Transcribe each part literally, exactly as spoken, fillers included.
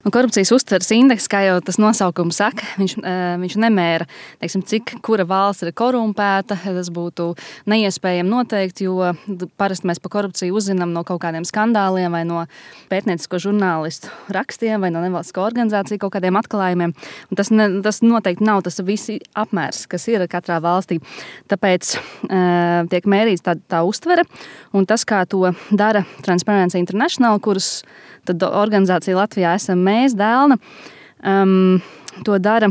Nu, korupcijas uztveres indeks, kā jau tas nosaukums saka, viņš, viņš nemēra, teiksim, cik kura valsts ir korumpēta. Tas būtu neiespējami noteikt, jo parasti mēs par korupciju uzzinām no kaut kādiem skandāliem vai no pētniecisko žurnālistu rakstiem vai no nevalstisko organizāciju kaut kādiem atklājumiem. Un tas, ne, tas noteikti nav tas visi apmērs, kas ir katrā valstī. Tāpēc uh, tiek mērīts tā, tā uztvere, un tas, kā to dara Transparency International, kuras tad organizācija Latvijā esam mēs, Dēlna, um, to dara.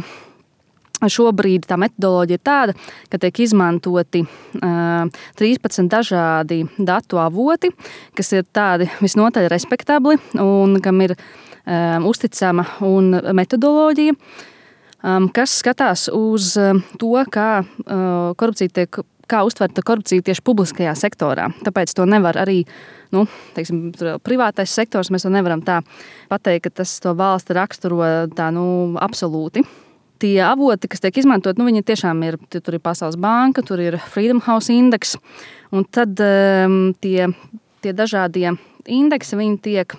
Šobrīd tā metodoloģija ir tāda, ka tiek izmantoti uh, trīspadsmit dažādi datu avoti, kas ir tādi visnotaļ respektabli un kam ir um, uzticama un metodoloģija, um, kas skatās uz to, kā uh, korupcija tiek, kā uztverta korupcija tieši publiskajā sektorā. Tāpēc to nevar arī, nu, teiksim, privātais sektors, mēs to nevaram tā pateikt, ka tas to valsti raksturo tā, nu, absolūti. Tie avoti, kas tiek izmantot, nu, viņi tiešām ir, tur ir Pasaules banka, tur ir Freedom House indeks, un tad um, tie, tie dažādie indeksi, viņi tiek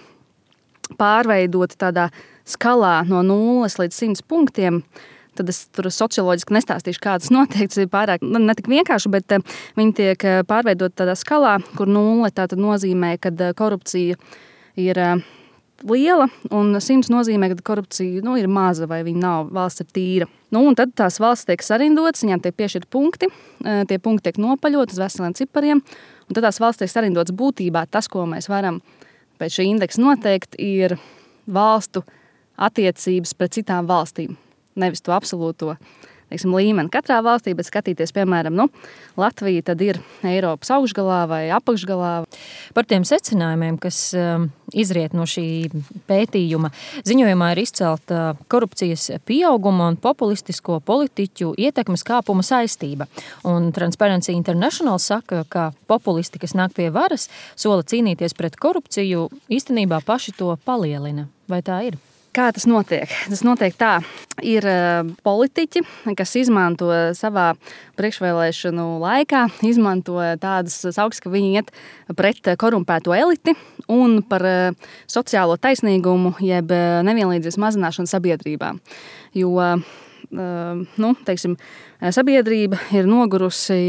pārveidoti tādā skalā no nulles līdz simts punktiem. Tad es tur socioloģiski nestāstīšu, kā tas notiek. Tas ir pārāk ne tik vienkārši, bet viņi tiek pārveidot tādā skalā, kur nulle tātad nozīmē, ka korupcija ir liela, un simts nozīmē, ka korupcija nu, ir maza vai viņa nav, valsts ir tīra. Nu, un tad tās valsts tiek sarindotas, viņām tiek piešķirti punkti, tie punkti tiek nopaļot uz veseliem cipariem, un tad tās valsts tiek sarindotas būtībā. Tas, ko mēs varam pēc šī indeksa noteikt, ir valstu attiecības pret citām valstīm. Nevis to absolūto, teiksim, līmeni katrā valstī, bet skatīties, piemēram, nu, Latvija tad ir Eiropas augšgalā vai apakšgalā. Par tiem secinājumiem, kas um, izriet no šī pētījuma, ziņojumā ir izcelta korupcijas pieauguma un populistisko politiķu ietekmes kāpuma saistība. Un Transparency International saka, ka populisti, kas nāk pie varas, sola cīnīties pret korupciju, īstenībā paši to palielina. Vai tā ir? Kā tas notiek? Tas notiek tā, ir politiķi, kas izmanto savā priekšvēlēšanu laikā, izmanto tādas sauksmes, ka viņi iet pret korumpēto eliti un par sociālo taisnīgumu jeb nevienlīdzības mazināšanu sabiedrībā. Jo, nu, teiksim, sabiedrība ir nogurusi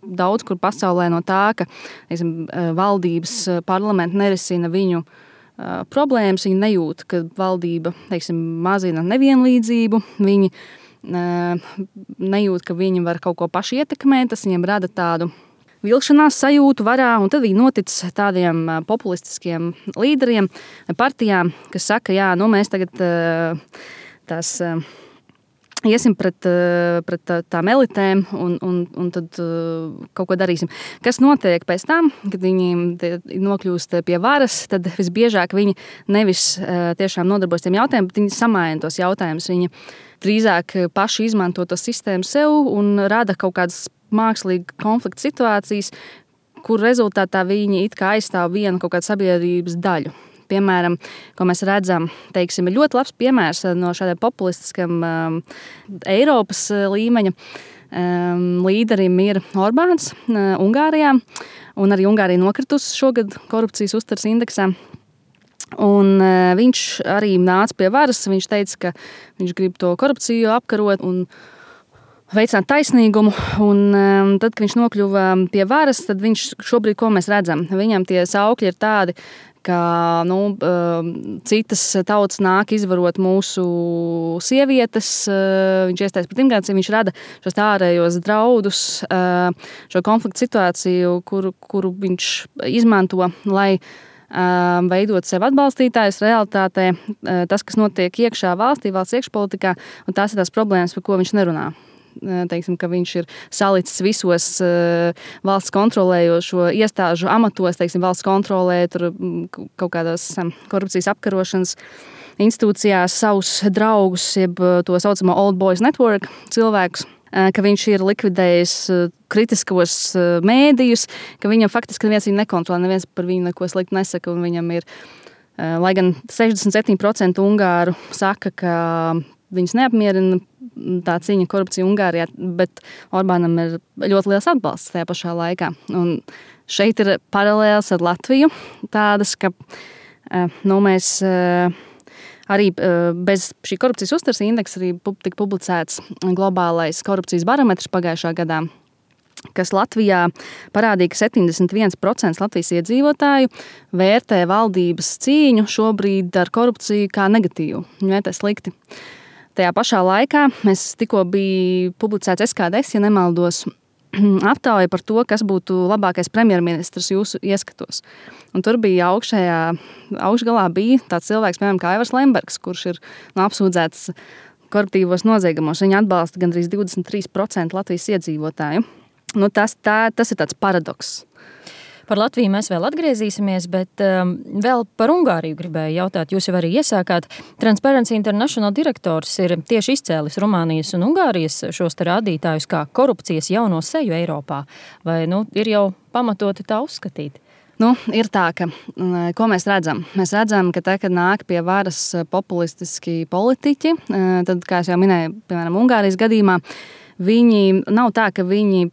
daudz kur pasaulē no tā, ka, teiksim, valdības parlamenti nerisina viņu problēmas, viņi nejūt, ka valdība, teiksim, mazina nevienlīdzību, viņi nejūt, ka viņi var kaut ko paši ietekmēt, tas viņiem rada tādu vilšanās sajūtu varā, un tad viņi notic tādiem populistiskiem līderiem, partijām, kas saka, jā, nu mēs tagad tās iesim pret, pret tām elitēm un, un, un tad kaut ko darīsim. Kas notiek pēc tam, kad viņi nokļūst pie varas, tad visbiežāk viņi nevis tiešām nodarbojas tiem jautājumiem, bet viņi samaina tos jautājumus. Viņi drīzāk paši izmanto to sistēmu sev un rada kaut kādas mākslīgi konflikta situācijas, kur rezultātā viņi it kā aizstāv vienu kaut kādu sabiedrības daļu. Piemēram, ko mēs redzam, teiksim, ir ļoti labs piemērs no šādiem populistiskam um, Eiropas līmeņa um, līderim ir Orbāns uh, Ungārijā, un arī Ungārija nokritus šogad korupcijas uztveres indeksā. Un uh, viņš arī nāca pie varas, viņš teica, ka viņš grib to korupciju apkarot un veicināt taisnīgumu, un um, tad, kad viņš nokļuva pie varas, tad viņš šobrīd, ko mēs redzam, viņam tie saukļi ir tādi, ka nu, citas tautas nāk izvarot mūsu sievietes, viņš iestājas pret imigrāciju, viņš rada šos ārējos draudus, šo konfliktu situāciju, kuru, kuru viņš izmanto, lai veidot sev atbalstītājus realitātē, tas, kas notiek iekšā valstī, valsts iekšpolitikā, un tās ir tās problēmas, par ko viņš nerunā. Teiksim, ka viņš ir salicis visos uh, valsts kontrolējošo iestāžu amatos, teiksim, valsts kontrolē, tur kaut kādās um, korupcijas apkarošanas institūcijās savus draugus, jeb to saucamo Old Boys Network cilvēkus, uh, ka viņš ir likvidējis uh, kritiskos uh, mēdījus, ka viņam faktiski neviens viņu nekontrolē, neviens par viņu neko slikti nesaka, un viņam ir, uh, lai gan sešdesmit septiņi procenti ungāru saka, ka viņus neapmierina tā cīņa korupcija Ungārijā, bet Orbānam ir ļoti liels atbalsts tajā pašā laikā. Un šeit ir paralēls ar Latviju tādas, ka nu, mēs Arī bez šī korupcijas uztveres indeksa arī tika publicēts globālais korupcijas barometrs pagājušā gadā, kas Latvijā parādīja, ka septiņdesmit viens procents Latvijas iedzīvotāju vērtē valdības cīņu šobrīd ar korupciju kā negatīvu. Viņi vērtē slikti. Tajā pašā laikā mēs tikko bija publicēts S K D S, ja nemaldos, aptauja par to, kas būtu labākais premjerministrs jūsu ieskatos. Un tur bija augšējā, augšgalā bija tāds cilvēks, piemēram, kā Aivars Lembergs, kurš ir nu, apsūdzēts koruptīvos noziegumos. Viņa atbalsta gandrīz divdesmit trīs procenti Latvijas iedzīvotāju. Nu, tas, tā, tas ir tāds paradoks. Par Latviju mēs vēl atgriezīsimies, bet um, vēl par Ungāriju gribēju jautāt. Jūs jau arī iesākāt. Transparency International direktors ir tieši izcēlis Rumānijas un Ungārijas šos te rādītājus kā korupcijas jauno seju Eiropā. Vai nu, ir jau pamatoti tā uzskatīt? Nu, ir tā, ka, ko mēs redzam? Mēs redzam, ka tā, kad nāk pie varas populistiski politiķi, tad, kā es jau minēju, piemēram, Ungārijas gadījumā, viņi nav tā, ka viņi,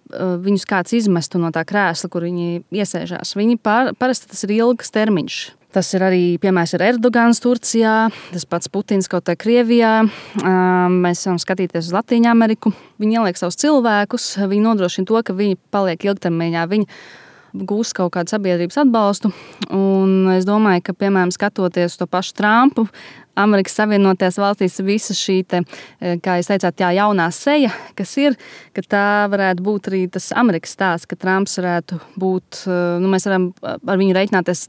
viņus kāds izmestu no tā krēsla, kur viņi iesēžās. Viņi pār, parasti tas ir ilgs termiņš. Tas ir arī, piemērs, ir Erdogans Turcijā, tas pats Putins kaut kā Krievijā. Mēs varam skatīties uz Latīņu Ameriku. Viņi ieliek savus cilvēkus, viņi nodrošina to, ka viņi paliek ilgtermiņā. Viņi gūs kaut kādu sabiedrības atbalstu. Un es domāju, ka, piemēram, skatoties to pašu Trumpu, Amerikas Savienotajās valstīs visa šī, te, kā jūs teicāt, jā, jaunā seja, kas ir, ka tā varētu būt arī tas Amerikas stāsts, ka Trumps varētu būt, nu, mēs varam ar viņu reiķināties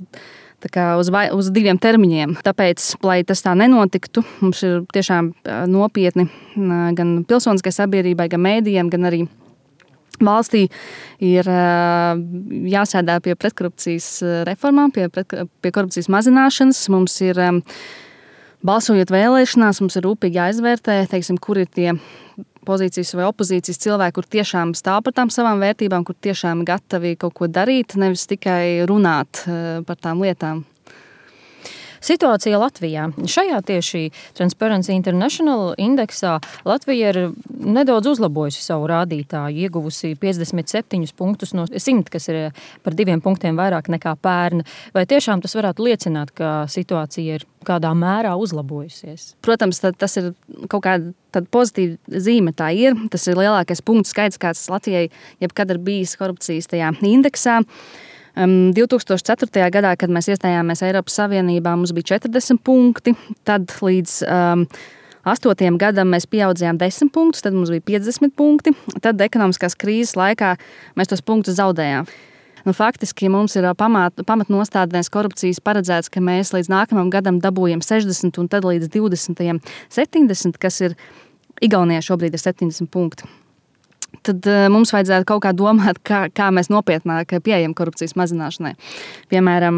tā kā uz, vai, uz diviem termiņiem. Tāpēc, lai tas tā nenotiktu, mums ir tiešām nopietni gan pilsoniskai sabiedrībai, gan mēdījiem, gan arī valstī ir jāsēdā pie pretkorupcijas reformām, pie, pret, pie korupcijas mazināšanas. Mums ir, balsojot vēlēšanās, mums ir rūpīgi jāizvērtē, teiksim, kur ir tie pozīcijas vai opozīcijas cilvēki, kur tiešām stāv par tām savām vērtībām, kur tiešām gatavi kaut ko darīt, nevis tikai runāt par tām lietām. Situācija Latvijā. Šajā tieši Transparency International indeksā Latvija ir nedaudz uzlabojusi savu rādītāju, ieguvusi piecdesmit septiņus punktus no simta, kas ir par diviem punktiem vairāk nekā pērn. Vai tiešām tas varētu liecināt, ka situācija ir kādā mērā uzlabojusies? Protams, tas ir kaut kāda tad pozitīva zīme, tā ir. Tas ir lielākais punktu skaits, kāds Latvijai jebkad ir bijis korupcijas tajā indeksā. Um, divi tūkstoši ceturtajā gadā, kad mēs iestājāmies Eiropas Savienībā, mums bija četrdesmit punkti. Tad līdz um, astotajam gadam mēs pieaudzījām desmit punktus, tad mums bija piecdesmit punkti. Tad ekonomiskās krīzes laikā mēs tos punktus zaudējām. Nu, faktiski mums ir pamat, pamatnostādnēs korupcijas paredzēts, ka mēs līdz nākamajam gadam dabūjam sešdesmit un tad līdz divdesmitajam septiņdesmit, kas ir Igaunijā šobrīd ir septiņdesmit punkti. Tad uh, mums vajadzētu kaut kā domāt, kā, kā mēs nopietnāk pieejam korupcijas mazināšanai. Piemēram,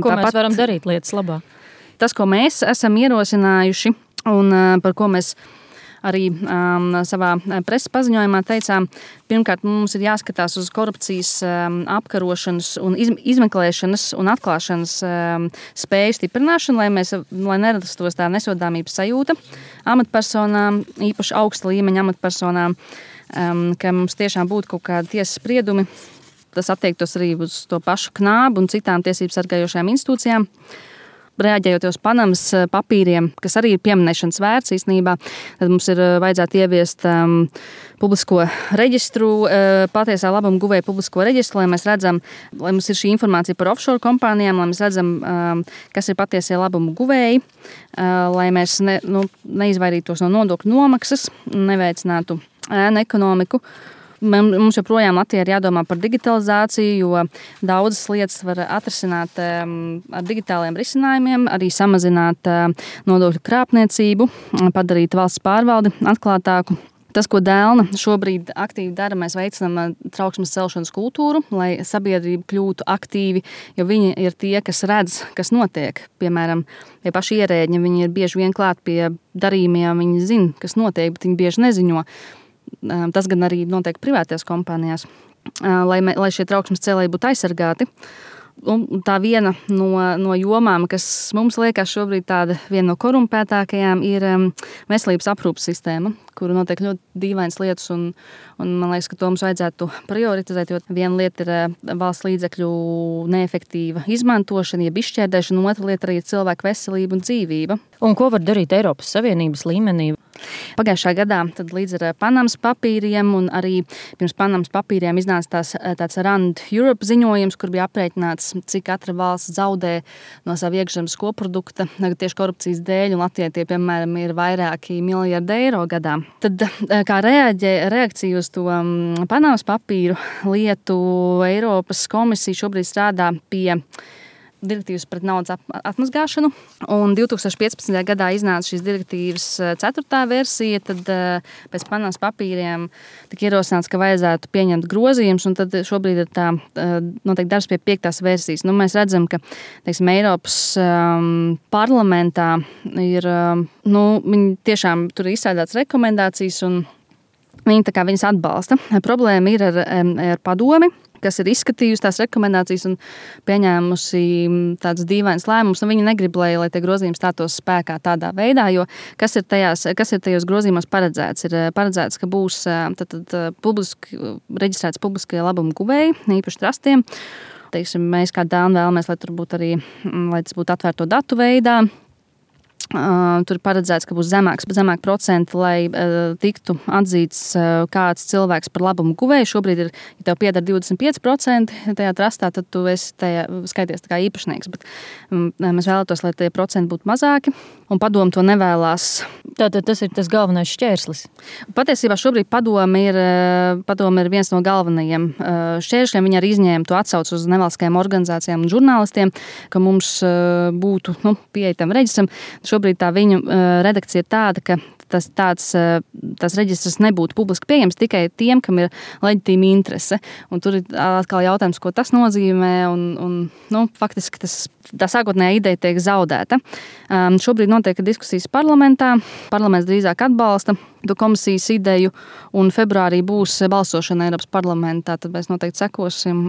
ko tāpat, mēs varam darīt lietas labā? Tas, ko mēs esam ierosinājuši un uh, par ko mēs arī um, savā preses paziņojumā teicām, pirmkārt, mums ir jāskatās uz korupcijas um, apkarošanas un iz, izmeklēšanas un atklāšanas um, spēju stiprināšanu, lai, mēs, lai nerastos tā nesodāmības sajūta amatpersonām, īpaši augsta līmeņa amatpersonām, Um, ka mums tiešām būtu kaut kādi tiesas spriedumi. Tas attiektos arī uz to pašu Knābu un citām tiesības sargājošajām institūcijām. Reaģējot uz Panamas papīriem, kas arī ir pieminēšanas vērts īstenībā, tad mums ir vajadzētu ieviest um, publisko reģistru, uh, patiesā labuma guvēja publisko reģistru, lai mēs redzam, lai mums ir šī informācija par offshore kompānijām, lai mēs redzam, um, kas ir patiesie labuma guvēji, uh, lai mēs ne, nu, neizvairītos no nodokļu nomaksas, neveicinātu ēnu ekonomiku. Mums joprojām Latvijā ir jādomā par digitalizāciju, jo daudzas lietas var atrisināt ar digitāliem risinājumiem, arī samazināt nodokļu krāpniecību, padarīt valsts pārvaldi atklātāku. Tas, ko Dēlna šobrīd aktīvi dara, mēs veicinām trauksmes celšanas kultūru, lai sabiedrība kļūtu aktīvi, jo viņi ir tie, kas redz, kas notiek. Piemēram, tie paši ierēģi, viņi ir bieži vien klāt pie darījumiem, viņi zina, kas notiek, bet viņi bieži neziņo. Tas gan arī notiek privātajās kompānijās, lai, lai šie trauksmes cēlēji būtu aizsargāti. tā viena no, no jomām, kas mums liekas šobrīd tāda viena no korumpētākajām, ir veselības aprūpes sistēma, kuru notiek ļoti dīvainas lietas, un, un man liekas, ka to mums vajadzētu prioritizēt, jo viena lieta ir valsts līdzekļu neefektīva izmantošana, jeb izšķērdēšana, un otra lieta arī ir cilvēku veselība un dzīvība. Un ko var darīt Eiropas Savienības līmenī? Pagājušā gadā tad līdz ar Panamas papīriem un arī pirms Panamas papīriem iznāca tās, tāds Rand Europe ziņojums, kur bija aprēķināts, cik katra valsts zaudē no savu iekšzemes koprodukta tieši korupcijas dēļ, un Latvijai tie, piemēram, ir vairāki miljardi eiro gadā. Tad kā reaģē, reakcija uz to Panamas papīru lietu, Eiropas komisija šobrīd strādā pie direktīvas pret naudas atmazgāšanu, un divi tūkstoši piecpadsmitajā gadā iznāca šīs direktīvas ceturtā versija, tad pēc Panamas papīriem tika ierosināts, ka vajadzētu pieņemt grozījumus, un tad šobrīd ir tā noteikti darbs pie piektās versijas. Nu, mēs redzam, ka, teiksim, Eiropas um, parlamentā ir, um, nu, viņi tiešām tur ir izstrādāts rekomendācijas, un viņi tā kā viņas atbalsta. Problēma ir ar, ar padomi, kas ir izskatījusi tās rekomendācijas un pieņēmusi tādus dīvainus lēmumus, un viņi negrib, lai, lai tie grozījumi stātos spēkā tādā veidā, jo kas ir, tajās, kas ir tajos grozījumos paredzēts? Ir paredzēts, ka būs tad, tad, publiski, reģistrēts publiskie labumu guvēji, īpaši trastiem. Teiksim, mēs kā dāni vēlamies, lai tur būtu arī, lai tas būtu atvērto datu veidā. Uh, tur paredzēts, ka būs zemāks, zemāk procenti, lai uh, tiktu atzīts uh, kāds cilvēks par labumu guvēju. Šobrīd ir, ja tev pieder divdesmit pieci procenti tajā trastā, tad tu esi tajā skaities tā kā īpašnieks. Bet um, mēs vēlētos, lai tie procenti būtu mazāki, un padomu to nevēlās. Tātad tas ir tas galvenais šķērslis. Patiesībā šobrīd padomu ir, padomu ir viens no galvenajiem uh, šķēršļiem. Viņi arī izņēma to atsaucu uz nevalstiskajām organizācijām un žurnālistiem, ka mums uh, būtu nu, pieeja tam reģistram. Šobrīd tā viņu uh, redakcija ir tāda, ka tas, tāds, uh, tas reģistrs nebūtu publiski pieejams tikai tiem, kam ir leģitīma interese. Un tur ir atkal jautājums, ko tas nozīmē, un, un nu, faktiski tas, tā sākotnējā ideja tiek zaudēta. Um, šobrīd notiek diskusijas parlamentā. Parlaments drīzāk atbalsta komisijas ideju, un februārī būs balsošana Eiropas parlamentā, tad mēs noteikti sekosim